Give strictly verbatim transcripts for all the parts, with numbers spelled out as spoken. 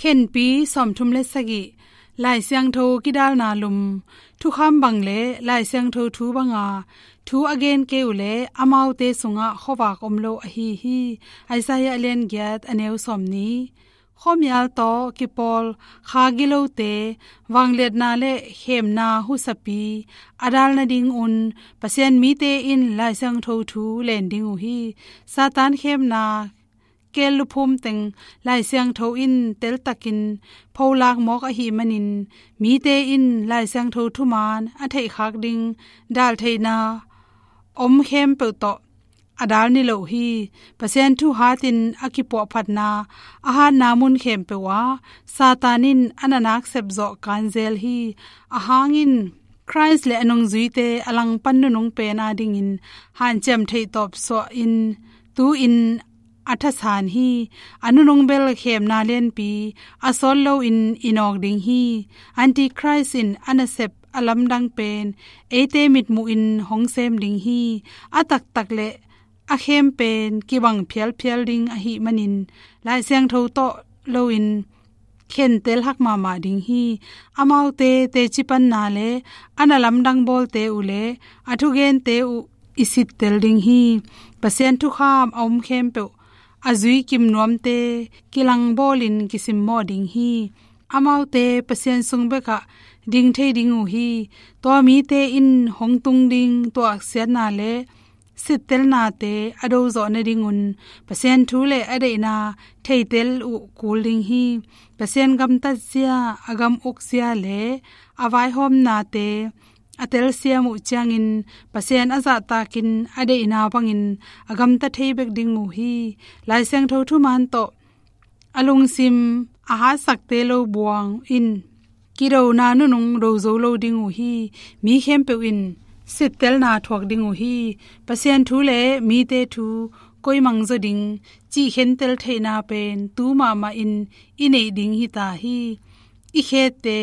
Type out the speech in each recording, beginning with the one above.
Khenpi sawmthum le sagih. Lai Siangtho kidalna lum. Thukham bang le Lai Siangtho thu banga thu a gen kei uh leh amaute sungah khuavak om lo ahi hi. Isaiah a lian giat a neu sawmnih. Khuamial tawh kipawl kha gilote, vangliatna le khemna husapi a dal nadingun Pasian mite in Lai Siangtho thu len ding uh hi. Satan khemna keel luphum teng Lai Siangtho in teltakin pholak mawk ahih manin, mite in Lai Siangtho thuman a theihkhak ding daltheihna om khempeuh tawh a dal niloh hi. Pasian thu hatin a kipuahphatna a hatna mun khempeuh ah Satan in a nanak sepzawh kanzel hi. Ahang in Khrist le a nungzuite a langpan nunung pen adingin hanciam theih tawp suahin tu-in a thasan hi. A nunung bel khemna lianpi a sawt loin i nawk ding hi. Antichrist in a nasep a lamdang pen eite mitmuhin hong sem ding hi. A taktak le a khem pen kibang phialphial ding ahih manin Lai Siangtho tawh loin khentel hak mahmah ding hi. Amaute teci panna le a na lamdang bawlte uh le a thugente uh i sittel ding hi. Pasian thukham a om khempeuh a zui kim nuamte kilang bawlin kisimmawh ding hi. Amaute Pasian sung bekah ding thei ding uh hi. Tua mite in hong tung ding tuahsiatna le sittelnate a dozawh nadingun Pasian thu le a deihna theitel uh kul ding hi. Pasian gamtatzia, a gam ukzia le a vaihawmnate a telsiam uh ciangin Pasian a zahtakin a deihna bangin a gamta thei bek ding uh hi. Lai Siangtho thuman tawh a lungsim a hatsakte lo buang in kidona nunung do zo lo ding uh hi. Mi khempeuh in sittelna thuak ding uh hi. Pasian thu le mite thu koi mangzaw ding cih khentel theihna pen tu mahmahin i neih ding hita hi. I khette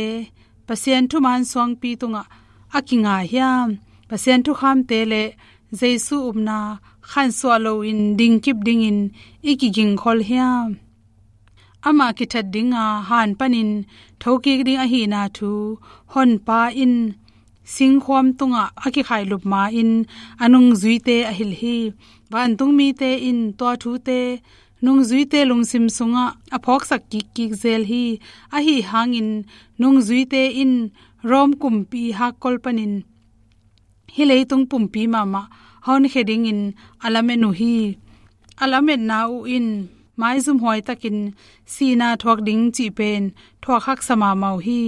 Pasian thuman suangpi tungah a kinga hiam? Pasian thukhamte le Jesu upna khansuah loin dingkip dingin i kigingkhol hiam? Amah kithat dinga han panin thokik ding ahihna thu Honpa in singkhuam tungah a kikhailup ma-in a nungzuite a hilh hi. Vantungmite in tua thute nungzuite lungsim sungah a phawksak kikkik zel hi. Ahi hangin nungzuite in Rom kumpi hakkol panin hih leitung pumpi mahmah a honkhia dingin a lamen uh hi. A lametna uh in maizumhuai takin sihna thuak ding cih pen thuak haksa mahmah uh hi.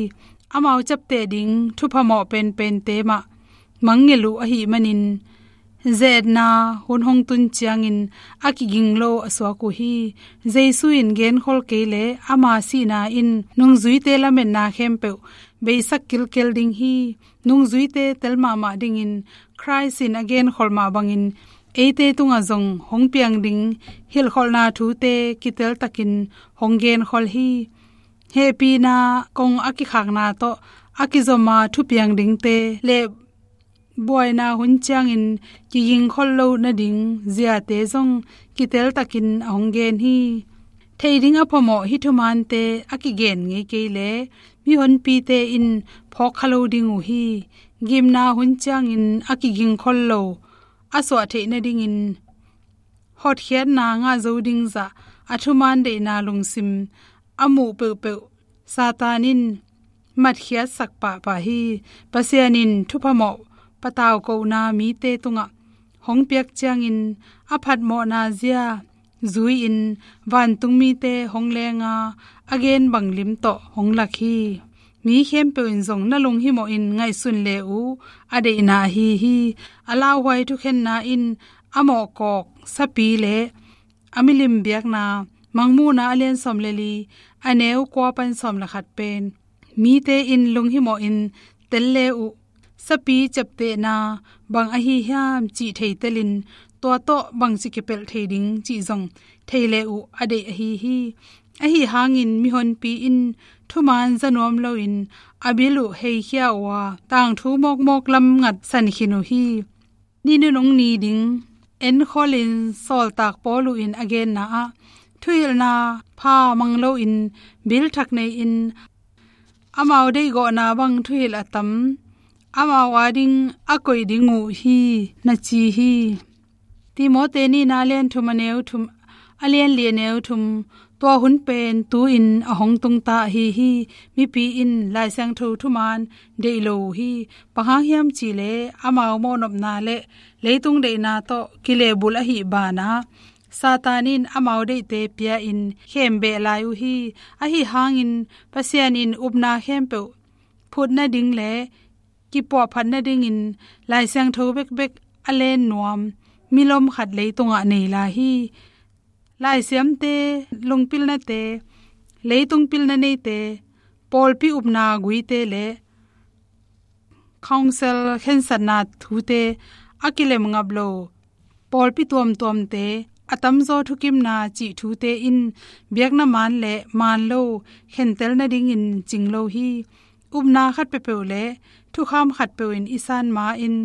Amau ciapteh ding thupha mawh penpente mah mangngilh uh ahih manin, ze-etna hun hong tun ciangin a kiging lo a suak uh hi. Jesu in genkhol kei leh ama sihna in nungzuite lametna khempeuh beisak kilkel ding hi. Nungzuite tel mahmah dingin Khrist in a genkhol mah bangin eite tungah zong hong piang ding hilhkholhna thute kiteltakin hong genkhol hi. Hehpihna kong a kikhakna tawh a kizoma thupiang dingte le buaina hun ciangin kigingkhol lo nading ziate zong kiteltakin a hong gen hi. Thei ding a phamawh hih thumante a kigen ngei kei leh mihonpite in phawkkha lo ding uh hi. Gimna hun ciangin a kigingkhol lo a suah theih nadingin hotkhiatna ngah zo ding zah a thuman deihna lungsim a muh peuhpeuh Satan in matkhiatsak pahpah hi. Pasian in thupha mawh pataukohna mite tungah hong piak ciangin a phatmawhna zia zui-in vantungmite hong lenga a gen bang lim tawh hong lak hi. Mi khempeuh in zong na lunghimawhin ngaihsun le uh a deihna ahi hi. A lauhuai thukhenna in a mawhkawk sapi le a milim biakna Mangmuhna a lian sawm le li a neu kua pan sawm le khat pen mite in lunghimawhin tel le uh sapi ciaptehna bang ahi hiam cih theitelin tua tawh bangci kipelh thei ding cih zong thei le uh a deih ahi hi. Ahi hangin mihonpi in thuman za nuam loin a bil uh heikhia uh a tangthu mawkmawk lam ngat san khin uh hi. Ni nunung ni ding enkholin sawltak Paul uh in a genna ah Thuhilhna pha mang loin, bil thak nei-in, amau deihgawhna bang thuhilh a tam, amau ading a koih ding uh hi, na ci hi. Timote nihna a lian thum a neu thum, a lian li a neu thum, tua hun pen tu-in a hong tungta ahi hi. Mipi in Lai Siangtho thuman deih lo uh hi. Bang hang hiam cih leh amau mawhnopna le leitung deihna tawh kilehbulh ahih banah, Satan in amau deihte pia-in khembeh lai uh hi. Ahi hangin Pasian in upna khempeuh phut nading le kipuahphat nadingin Lai Siangtho bekbek a len nuam milom khat leitungah nei lai hi. Laisiamte, lungpilnate, leitung pilna neite, pawlpi upna guite le council khensatna thute, a kilem ngap lo pawlpi tuamtuamte, a tamzaw thukimna cih thute in biakna man le man lo khentel nadingin cing lo hi. Upna khat peuhpeuh le thukham khat peuh in i san ma-in,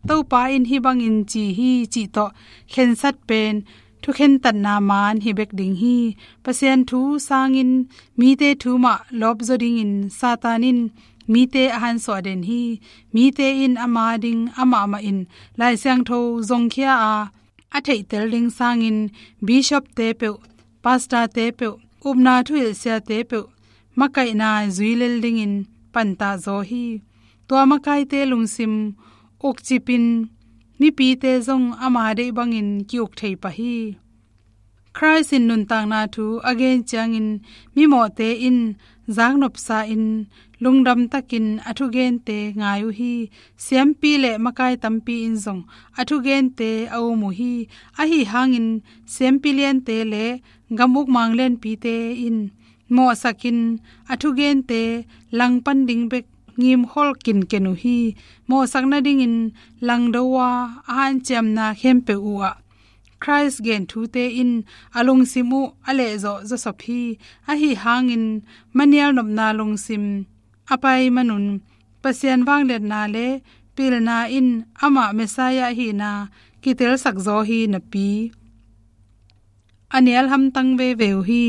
Topa in hih bangin ci hi cih tawh khensat pen thukhentatna man hi bek ding hi. Pasian thu sangin mite thu mah lawpzaw dingin Satan in mite a hansuah den hi. Mite in ama ding amah mah in Lai Siangtho zongkhia a, a theihtel ding sangin bishopte peuh, pastorte peuh, upna thuhilhsiate peuh makaihna zui lel dingin pantah zaw hi. Tua makaite lungsim ukcipin mipite zong ama deih bangin ki-uk thei pah hi. Khrist in nuntakna thu a gen ciangin mimawhte in zaknopsa-in lungdamtakin a thugente ngai uh hi. Siampi le makai tampi in zong a thugente a um uh hi. Ahi hangin siampi liante le gam ukmang lianpite in mawhsakin a thugente langpan ding bek ngimkhol kinken uh hi. Mawhsak nadingin langdo a, a hanciamna khempeuh uhah Khrist gen thute in a lungsim uh a lehzawh zawsop hi. Ahi hangin manial nopna lungsim a pai manun Pasian vangliatna le pilna in amah Messiah ahihna kitelsak zaw hi napi, a nial hamtang veve uh hi.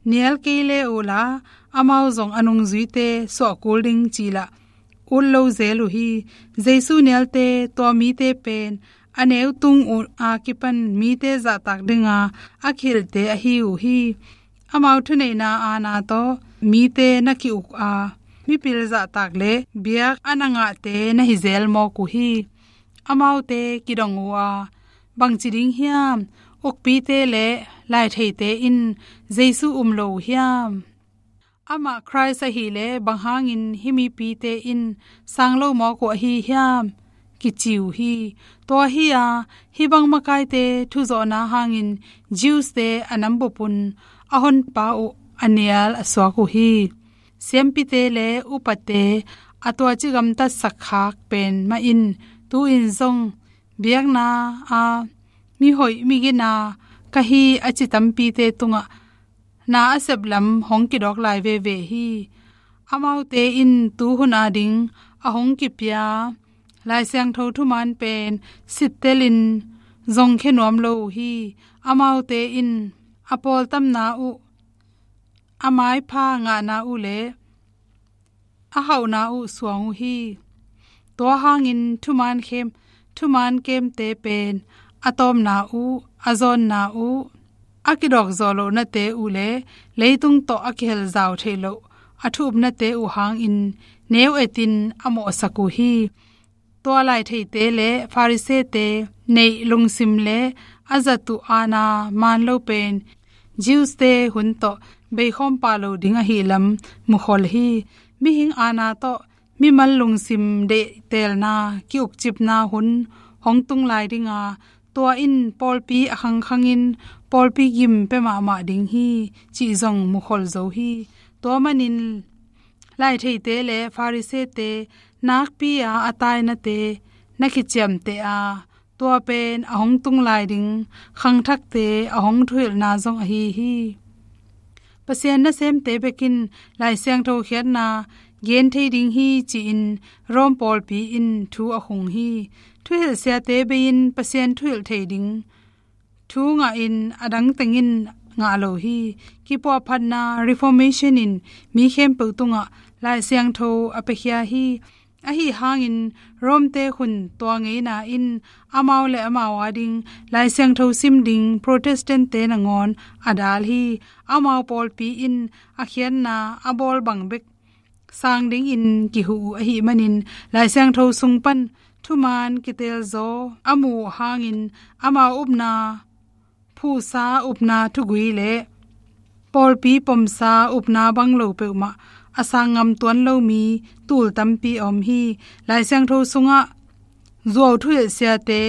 Nial kei le uhla, amau zong a nungzuite suah kul ding cih lah ut lo zel uh hi. Jesu nialte, tua mite pen a neu tung uh a kipan mite zahtak dinga a kihilhte ahi uh hi. Amau thuneihna aana tawh mite na ki-uk a, mipil zahtak le biak a na ngahte na hi zel mawk uh hi. Amaute kidong uh a, bangci ding hiam? Ukpite le laitheite in Jesu um lo uh hiam? Amah Khrist ahih leh bang hangin hih mipite in sang lo mawk uh ahi hiam? Kici uh hi. Tua hi a, hih bang makaite thuzawhna hangin Jews-te a nambup un a honpa uh a nial a suak uh hi. Siampite le upate a tuaci gamtatsak khak pen mah in tu-in zong biakna a mihoih migina ka hi a ci tampite tungah na a sep lam hong kidawk lai veve hi. Amaute in tuhun ading a hong kipia Lai Siangtho thuman pen sittelin zongkhia nuam lo uh hi. Amaute in a pawltamna uh, a maipha ngahna uh le a hauhna uh suang uh hi. Tua hangin thuman khem, thuman kemte pen a tawpna uh, a zawnna uh, a kidawk zawh lohnate uh le leitung tawh a kihel zau theih loh a thu upnate uh hangin neu etin a mawhsak uh hi. Tua laitheite le Farisee-te neih lungsim le a zat uh aana man lo pen Jews-te hun tawh beikhawm pah lo ding ahih lam mukhol hi. Mihing aana tawh mimal lungsim deihtelna, ki-ukcipna hun hong tung lai dinga, tua in pawlpi a khangkhangin pawlpi gim pia mahmah ding hi cih zong mukhol zo hi. Tua manin laitheite le Farisee-te nakpi-a a tainate na kiciamteh a, tua pen a hong tung lai ding khangthakte a hong thuhilhna zong ahi hi. Pasian nasemte bekin Lai Siangtho khiatna gen thei ding hi ci-in Rom pawlpi in thu a khung hi. Thuhilhsiate bei-in Pasian thuhilh thei ding thu ngahin a dang tengin ngah lo hi. Kipuahphatna Reformation in mi khempeuh tungah Lai Siangtho a piakhia hi. Ahi hangin Rome-te khun tua ngeina in amau le amau ading Lai Siangtho sim ding Protestant-te nangawn a dal hi. Amau pawlpi in a khiatna a bawl bang bek sang dingin kihuh uh ahih manin Lai Siangtho sung pan thuman kitelzaw a muh hangin amau upna phuhsa upna thugui le pawlpi pomsa upna bang lo peuhmah a sang ngam tuan lo mi tul tampi a om hi. Lai Siangtho sungah zuau thuhilh siate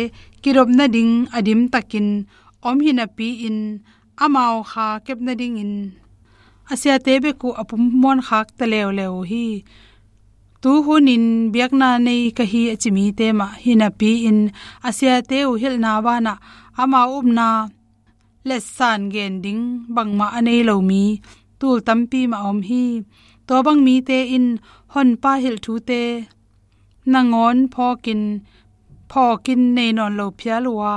kidop nading a dimtakin om hi napi-in amau kha kep nadingin a siate bek uh a pummuan khak ta leuleu uh hi. Tu hunin biakna nei ka hi a ci mite mah hi napi-in a siate uh hilhna banah amau upna letsan gen ding bangmah a nei lo mi tul tampi mah a om hi. Tua bang mite in Honpa hilh thute nangawn phawkin phawkin nei nawn lo phial uh a,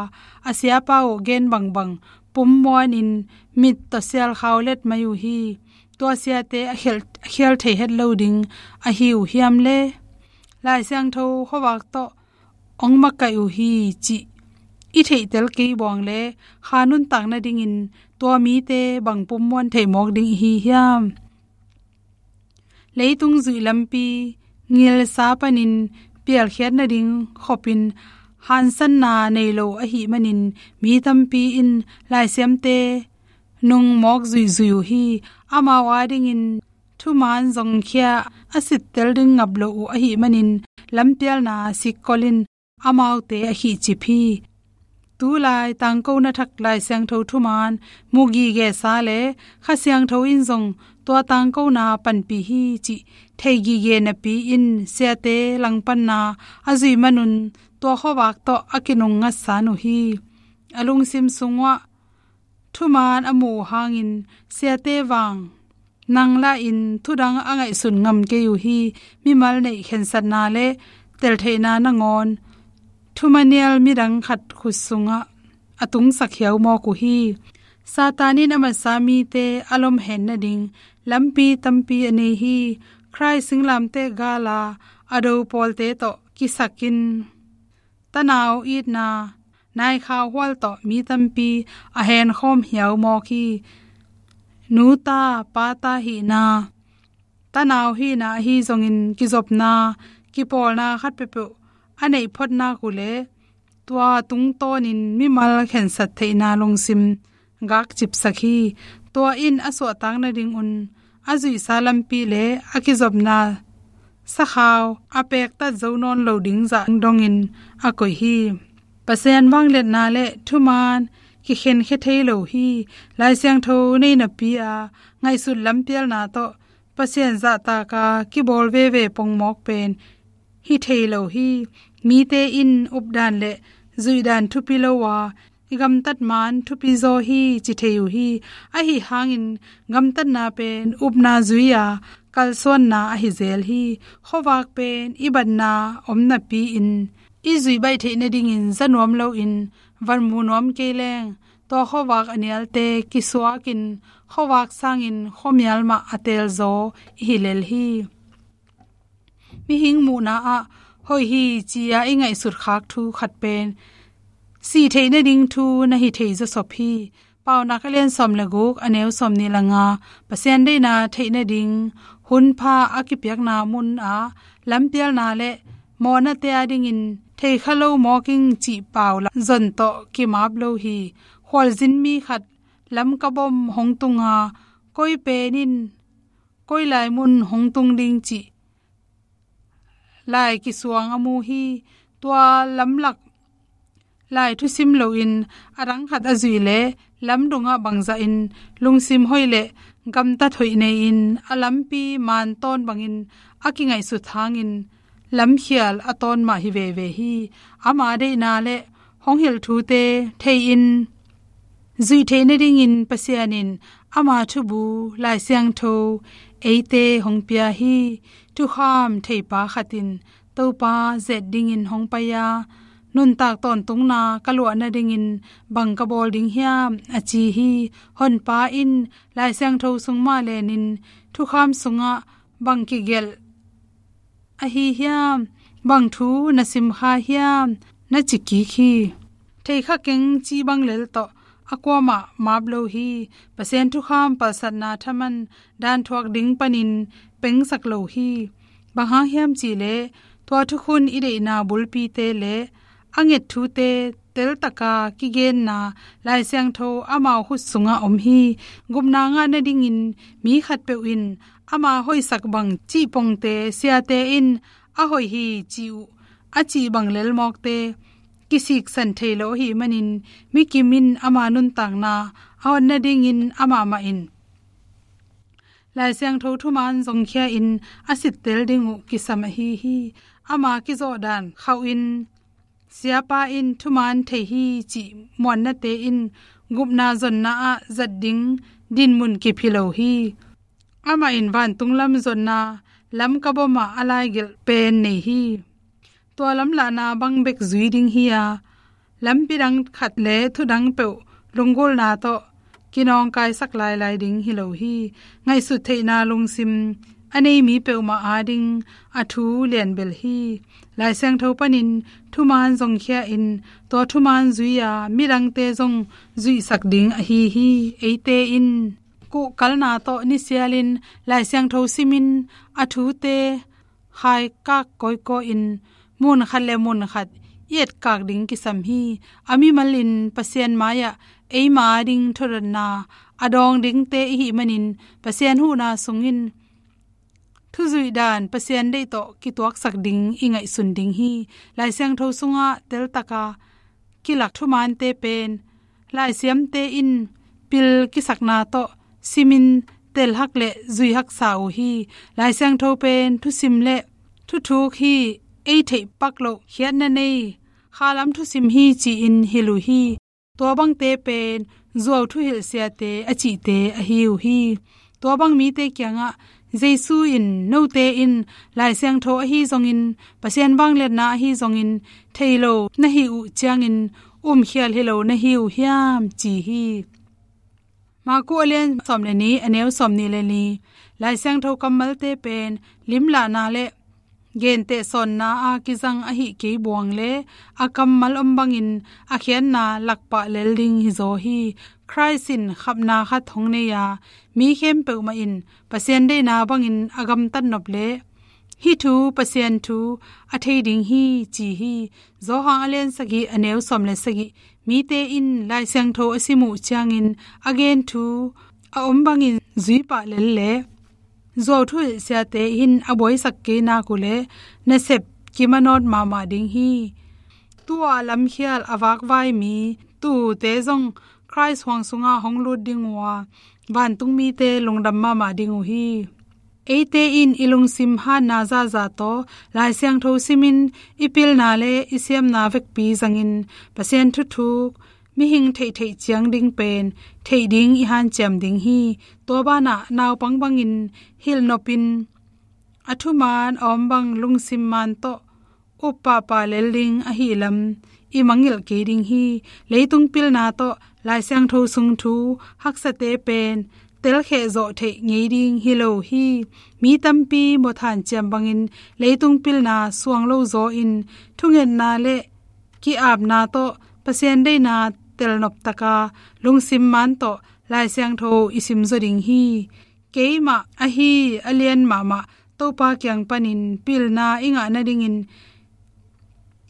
a siapa uh gen bangbang pummuanin mit tawh sialkhau let mai uh hi. Tua siate a khial, a khial thei het lo ding ahi uh hiam le? Lai Siangtho khuavak tawh hong makaih uh hi cih i theihtel kei buang le kha nuntak nadingin tua mite bang pummuan theih mawk ding i hi hiam? Leitung zuih lampi ngilsa panin pialkhiat nading khopin hansanna nei lo ahih manin mi tampi in laisiamte nung mawk zuihzuih uh hi. Amau adingin thuman zongkhia a sittel ding ngap lo uh ahih manin lampialna sikkolin amaute a khihcip hi. Tulai tangkona thak Lai Siangtho thuman mu gigesa le Kha Siangtho in zong tua tangkona panpih hi cih thei gige napi-in siate langpanna a zuih manun tua khuavak tawh a kinung ngatsan uh hi. A lungsim sungah thuman a muh uh hangin siate vang nang lahin thudang a ngaihsun ngam kei uh hi. Mimal neih khensatna le teltheihna nangawn thumanial midang khat khut sungah a tungsak hiau mawk uh hi. Satan in a masa mite a lomhen nading lampi tampi a nei hi. Khrih singlamteh gala a do pawlte tawh kisakin tanau itna naikhau hual tawh mi tampi a henkhawm hiau mawk hi. Nuta pata hihna, tanau hihna ahi zongin kizopna kipawlna khat peuhpeuh a neih photnak uh le tua tungtawnin mimal khensat theihna lungsim gakcipsak hi. Tua in a suahtak nadingun a zuihsa lampi le a kizopna sakhau a pektat zo nawn lo ding zah dongin a koih hi. Pasian vangliatna le thuman kikhenkhia thei lo hi. Lai Siangtho nei napi-a ngaihsut lampialna tawh Pasian zahtaka kibawl veve pongmawk pen hi thei lo hi. Mite in updan le zuihdan thupi lo a i gamtat man thupi zaw hi ci thei uh hi. Ahi hangin gamtatna pen upna zui-a kalsuanna ahi zel hi. Khuavak pen i batna om napi-in i zuih baih theih nadingin za nuam loin van mu nuam kei leng tua khuavak a nialte kisuakin khuavak sangin khuamial mah a teelzaw i hi lel hi. Mihing muhna ah hoih hi ci-a i ngaihsut khak thu khat pen si theih nading thu na hi thei zawsop hi. Paunak a lian sawm le guk a neu sawm nih le nga, Pasian deihna theih nading hunpha a kipiakna munah lampialna le mawhnate adingin thei kha lo mawk ing cih pau la zon tawh kimap lo hi. Khualzin mi khat lamkabom hong tunga koi pen in koi lai mun hong tung ding cih lai kisuang a mu hi. Tua lamlak lai thusim loin a dang khat a zuih le lamdungah bangzahin lungsim hoih le gamtat hoih nei-in a lampi man tawn bangin a kingaihsut hangin lamkhial a tawn mah hi veve hi. Ama deihna le hong hilh thute thei-in zuih theih nadingin Pasian in ama thubu Lai Siangtho eite hong pia hi. Thukham theipa khat in Topa zet dingin hong pai-a nuntak tawntungna ka luah nadingin bang ka bawl ding hiam, a ci hi. Honpa in Lai Siangtho sung mah lenin thukham sungah bang kigelh ahi hiam, bang thu na simkha hiam, na ci kik hi. Theikha keng cih bang lel tawh a kuamah map lo hi. Pasian thukham palsatna thaman dan thuak ding panin pengsak lo hi. Bang hang hiam cihleh, tua thukhun i deihna bulpite le a nget thute teltaka kigenna Lai Siangtho amau khut sungah om hi. Gupna ngah nadingin mi khatpeuh in ama hoihsak bang cih pongte siate in a hoih hi ci uh a cih bang lelmawkte kisiksan thei lo ahih manin, mikim in ama nuntakna a hon nadingin amah mah in Lai Siangtho thuman zongkhia in a sittel ding uh kisam ahi hi. Ama kizawhdan khauhin siapa in thuman thei hi cih muannate in gupna zonna ah zat ding dinmun kip hi lo hi. Amah in vantung lam zonna lam kabomah a laigelh pen nei hi. Tua lamlahna bang bek zui ding hi a, lampi dang khat le thudang peuh lunggulhna tawh kinawngkaisak lailai ding hi lo hi. Ngaihsut theihna lungsim a nei mi peuhmah ading a thu lianbel hi. Lai Siangtho panin thuman zongkhia in tua thuman zui-a midangte zong zuihsak ding ahi hi. Eite in kuhkalna tawh nisialin Lai Siangtho simin a thute khaikak kawikawi in mun khat le mun khat i etkak ding kisam hi. A mimal in Pasian mai-ah eima ading thudotna a dawng dingte i hih manin Pasian huhna sungin thuzuih dan Pasian deih tawh kituaksak ding i ngaihsun ding hi. Lai Siangtho sungah teltaka kilak thumante pen laisiamte in pil kisakna tawh simin telhak le zuihaksa uh hi. Lai Siangtho pen thusim le thuthuk hi. Ei theih pak loh khiatna nei khalam thusim hi ci-in hilh uh hi. Tua bangte pen zuau thuhilhsiate a cihte ahi uh hi. Tua bang mite kiangah Jesu in, "Note in Lai Siangtho ahi zongin, Pasian vangliatna ahi zongin thei lo na hih uh ciangin umkhial hi lo na hi uh hiam?" ci hi. Marku a lian sawm le nih, a neu sawm nih le nih. Lai Siangtho kammalte pen limlahna le genteh sawnna a kizang ahih kei buang le a kammal om bangin a khiatna lakpah lel ding hi zaw hi. Khrist in khapna khat hong nei a, mi khempeuh mah in Pasian deihna bangin a gamtat nop le hih thu Pasian thu a thei ding hi ci hi. Johan a lian sagih, a neu sawm le sagih. Mite in Lai Siangtho a sim uh ciangin a gen thu a om bangin zuipah lel le zuau thuhilhsiate in a buaisak kei nak uh le nasep kimanawt mahmah ding hi. Tu-a lamkhial a vakvai mi tuute zong Khrist huang sungah hong lut ding uh a, vantung mite lungdam mahmah ding uh hi. Eite in i lungsim hatna zahzah tawh Lai Siangtho simin i pilna le i siamna vekpi zangin Pasian thuthuk mihing theihtheih ciang ding pen theih ding i hanciam ding hi. Tua banah naupang bangin hilh nopin a thuman a om bang lungsim man tawh up pahpah lel ding ahih lam i mangngilh kei ding hi. Leitung pilna tawh Lai Siangtho sung thu haksate pen telkheh zawh theih ngei ding hi lo hi. Mi tampi mawthan ciam bangin leitung pilna suang lo zaw in thungetna le ki-apna tawh Pasian deihna telnop taka lungsim man tawh Lai Siangtho i simzaw ding hi. Keimah ahi a lian mahmah Topa kiang panin pilna i ngah nadingin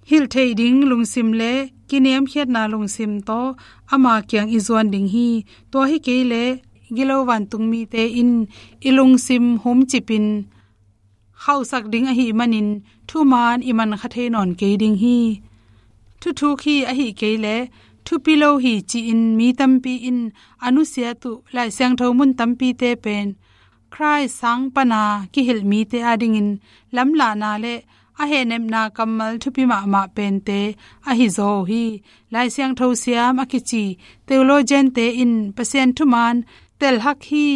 hilh theih ding lungsim le kiniamkhiatna lungsim tawh ama kiang i zuan ding hi. Tua hi kei leh gilo vantung mite in i lungsim humcipin khauhsak ding ahih manin thuman i mankha thei nawn kei ding hi. Thuthuk hi ahih kei leh thupi lo hi ci-in mi tampi in a nusiat uh Lai Siangtho mun tampite pen Khrist sang pana kihilh mite adingin lamlahna le a hehnepna kammal thupi mahmah pente ahi zaw uh hi. Lai Siangtho siam a kici theologiante in Pasian thuman telhak hi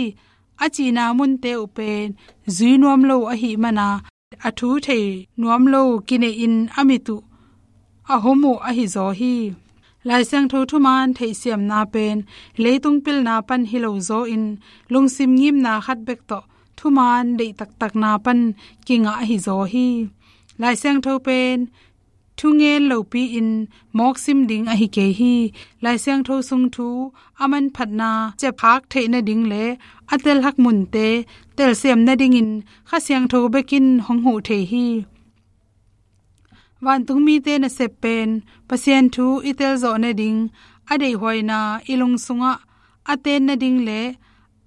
a cihna munte uh pen zui nuam lo ahih mana a thu thei nuam lo kineih in a mit uh a hum uh ahi zaw hi. Lai Siangtho thuman theihsiamna pen leitung pilna pan hi lo zaw in, lungsim ngimna khat bek tawh thuman deih taktakna pan kingah ahi zaw hi. Lai Siangtho pen thungen lopi-in mawk sim ding ahi kei hi. Lai Siangtho sung thu a manphatna ciapkhak theih nading le a telhak munte telsiam nadingin Kha Siangtho bekin hong huh thei hi. Vantung mite nasep pen Pasian thu i telzawh nading, a deihhuaina i lung sungah a ten nading le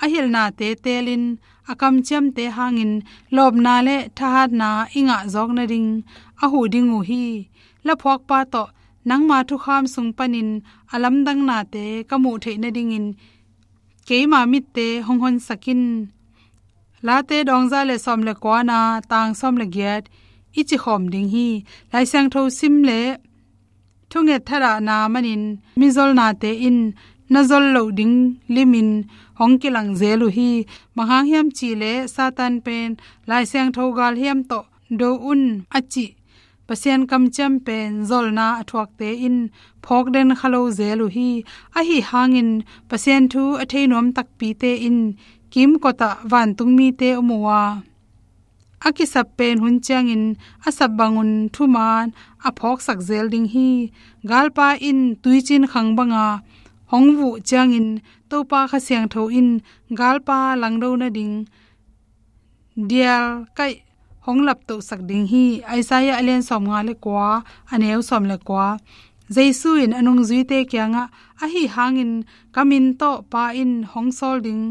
a hilhnate telin, a kamciamte hangin lawpna le thahatna i ngah zawk nading a huh ding uh hi. Laphuakpa tawh nangma thukham sung panin a lamdangnate ka muh theih nadingin keima mitte hong honsak in. Late dawngza le sawm le kuana tang sawm le giat i cikhawm ding hi. Lai Siangtho sim le thunget thadahna manin mizolnate in na zol loh ding limin hong kilang zel uh hi. Bang hang hiam cih leh Satan pen Lai Siangtho galhiam tawh do un a cih Pasian kamciam pen zolna a thuakte in phawk den kha lo zel uh hi. Ahi hangin Pasian thu a thei nuam takpite in kimkotah vantung mite om uh a, a kisap pen hun ciangin a sap bangun thuman a phawksak zel ding hi. Galpa in tuicin khang banga hong vuh ciangin Topa Kha Siangtho in galpa langdo nading dial kaih hong laptohsak ding hi. Isaiah a lian sawm nga le kua, a neu sawm le kua. Jesu in a nungzuite kiangah, ahi hangin ka min tawh Pa in hong sawl ding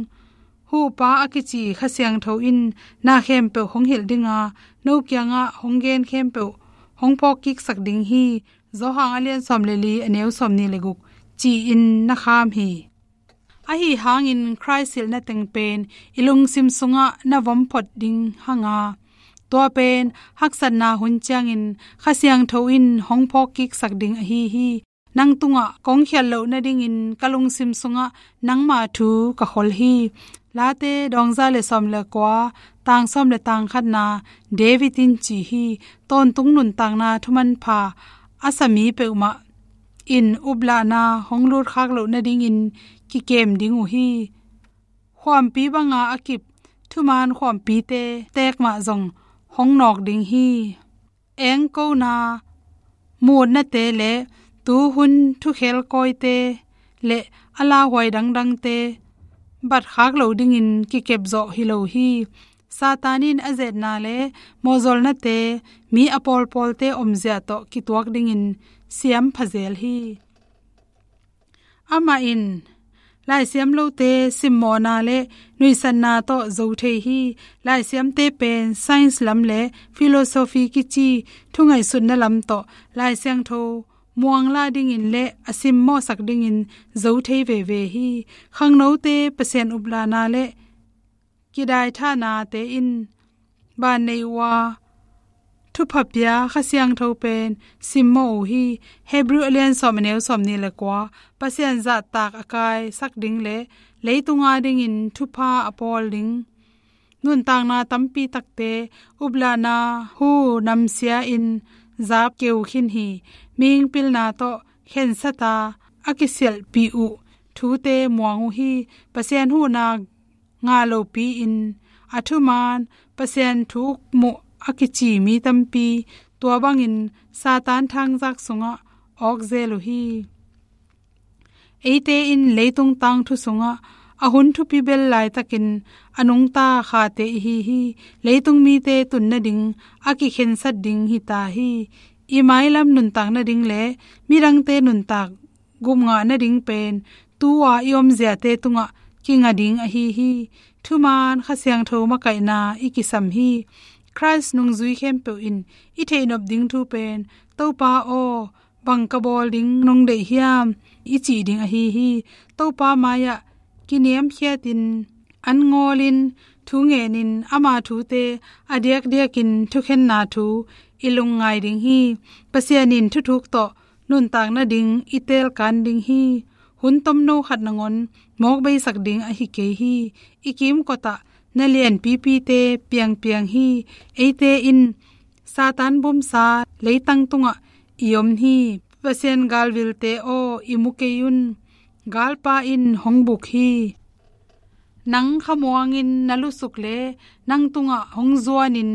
Huhpa a kici Kha Siangtho in na khempeuh hong hilh dinga, no kiangah hong gen khempeuh hong phawkkiksak ding hi. Johan a lian sawm le li, a neu sawm nih le guk, ci-in na kham hi. Ahi hangin Khrist hilhna teng pen i lungsim sungah na vom phot ding hanga, tua pen haksatna hun ciangin Kha Siangtho in hong phawkkiksak ding ahi hi. Nang tungah kong khialh loh nadingin ka lungsim sungah nangma thu ka khol hi. Late dawngza le sawm le kua, tang sawm le tang khatna, David in ci hi. Tawntung nuntakna thumanpha a sa mi peuhmah in uplahna hong lutkhak loh nadingin kikem ding uh hi. Khuampi banga a kip thuman khuampite teek mah zong hong nawk ding hi. Engkona mutnate le tuhun thukhel kawite le a lauhuai dangdangte batkhak lo dingin kikepzawh hi lo hi. Satan in a zetna le mawhzolnate mi a pawlpawlte omzia tawh kituak dingin siam phazel hi. Amah in laisiam lote simmawhna le nuihsatna tawh zo thei hi. Laisiamte pen science lam le philosophy kici thungaihsutna lam tawh Lai Siangtho muanglah dingin le a simmawhsak dingin zo thei veve hi. Khangnote Pasian uplahna le kidaithahnate in ban nei uh a, thupha pia Kha Siangtho pen simmawh uh hi. Hebrew a lian sawm, a neu sawm nih le kua, Pasian zahtak a kaisak ding le leitunga dingin thupha a pawl ding nuntakna tampi takte uplahna hu namsia in zap keu khin hi. Mihing pilna tawh khensata a kisialhpih uh thute muang uh hi. Pasian huhna ngah lopi-in a thuman Pasian thuk muh a kici mi tampi tua bangin Satan thangzak sungah awk zel uh hi. Eite in leitung tangthu sungah a hun thupi bel laitakin a nungta khate ihi hi. Leitung mite tun nading a kikhensat ding hita hi. I mailam nuntak nading le midangte nuntak gupngah nading pen tu-a i omziate tungah kinga ding ahi hi. Thuman Kha Siangtho makaihna i kisam hi. Khrist nungzui khempeuh in i theihnop ding thu pen, Topa aw, bang ka bawl ding nong deih hiam, i cih ding ahi hi. Topa mai-ah kiniamkhiatin an ngawlin thu ngenin ama thute a diakdiakin thukhenna thu i lungngai ding hi. Pasian in thuthuk tawh nuntak nading i teelkan ding hi. Hun tomno khat nangawn mawk beisak ding ahi kei hi. I kimkotah na lianpipite piangpiang hi. Eite in Satan bumsa leitang tungah i om hi. Pasian galvilte aw, i mu kei un. Galpa in hong buk hi. Nang khamuangin na lusuk le nang tungah hong zuanin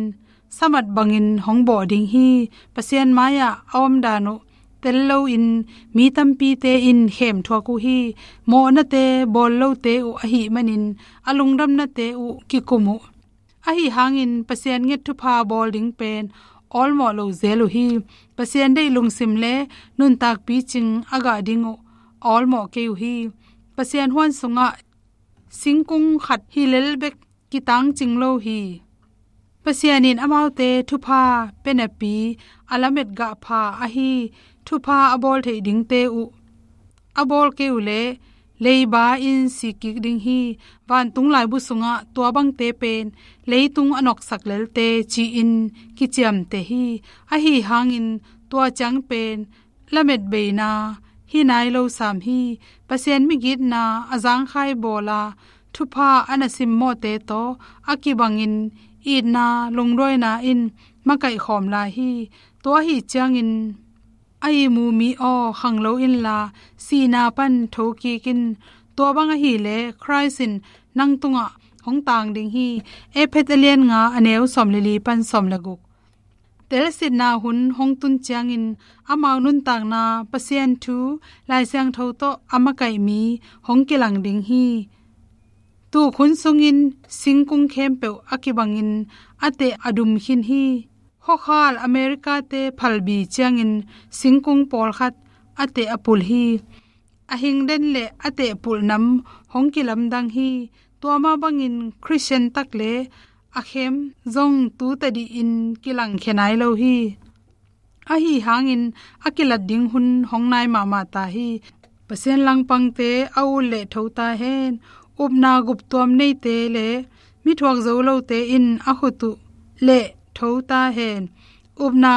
samat bangin hong bawh ding hi. Pasian mai-ah a omdan uh tel loin mi tampite in khem thuak uh hi. Mawhnate bawl lote uh ahih manin a lungdamnate uh kikum uh. Ahi hangin Pasian nget thupha bawl ding pen awlmawh lo zel uh hi. Pasian deih lungsim le nuntak picing a gah ding uh awlmawh kei uh hi. Pasian huan sungah singkung khat hi lel bek kitangcing lo hi. Pasian in amaute thupha pia napi a lamet gah pha ahi thupha a bawl theih dingte uh a bawl kei uh leh leiba in sikik ding hi. Vantung laibu sungah tua bangte pen leitung a noksak lelte ci-in kiciamteh hi. Ahi hangin tua ciang pen lamet beina hi nai lo sam hi. Pasian migitna a zangkhai bawla thupha a na simmawhte tawh a kibangin itna lungduaina in makaih khawm lai hi. Tua ahi ciangin a ihmu mi aw, khang lo inla sihna pan thokik in. Tua bang ahileh Khrist in nang tungah hong tang ding hi. Efesa a lian nga a neu sawm le li pan sawm le guk. Telsitna hun hong tun ciangin amau nuntakna Pasian thu Lai Siangtho tawh a makaih mi hong kilang ding hi. Tuk hun sungin singkung khempeuh a kibangin a teh a dum khin hi. Hawkhal America-te phalbi ciangin singkung pawlkhat a teh a pul hi. A hingden le a teh pulh nam hong kilamdang hi. Tua mah bangin Khristian tak le a khem zong tu tadih in kilangkhia nai lo hi. Ahi hangin a kilat ding hun hong nai mahmah ta hi. Pasian langpangte a ut le tho ta hen. Upna guptuam neite le mithuak zo lote in a khut uh le tho ta hen. Upna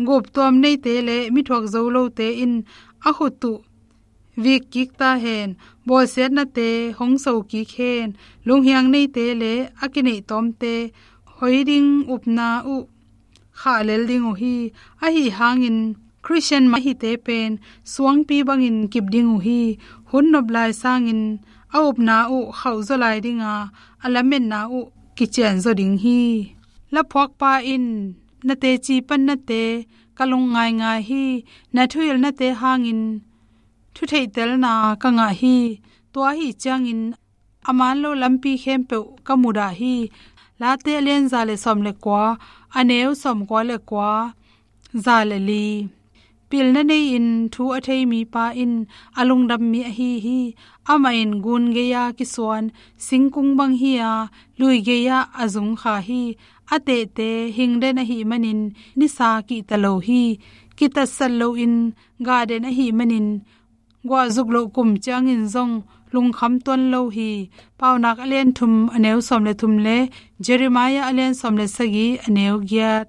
guptuam neite le mithuak zo lote in a khut uh vik kik ta hen. Bawlsiatnate hong so kik hen. Lunghiang neite le a kineih tawmte hoi ding upna uh khah lel ding uh hi. Ahi hangin Khristian mah hite pen suangpi bangin kip ding uh hi. Hun nop lai sangin a upna uh khauhzaw lai dinga a lametna uh kicianzaw ding hi. Laphuakpa in na teci pannate ka lung ngaingai hi. Na thuhilhnate hangin thutheihtelna ka ngah hi. Tua ahi ciangin a man lo lampi khempeuh ka mudah hi. Late a lian za le sawm le kua, a neu sawm kua le kua, za le li. Pilna nei-in thu a thei mipa in a lungdam mi ahi hi. Amah in gun gei-a kisuan singkung bang hi-a, lui gei-ah a zung kha hi. A tehte hingden ahih manin nisa kihta lo hi. Kitatsat loin gahden ahih manin guahzuk loh kum ciangin zong lungkham tuan lo hi. Paunak a lian thum a neu sawm le thum le Jeremiah a lian sawm le sagih a neu giat.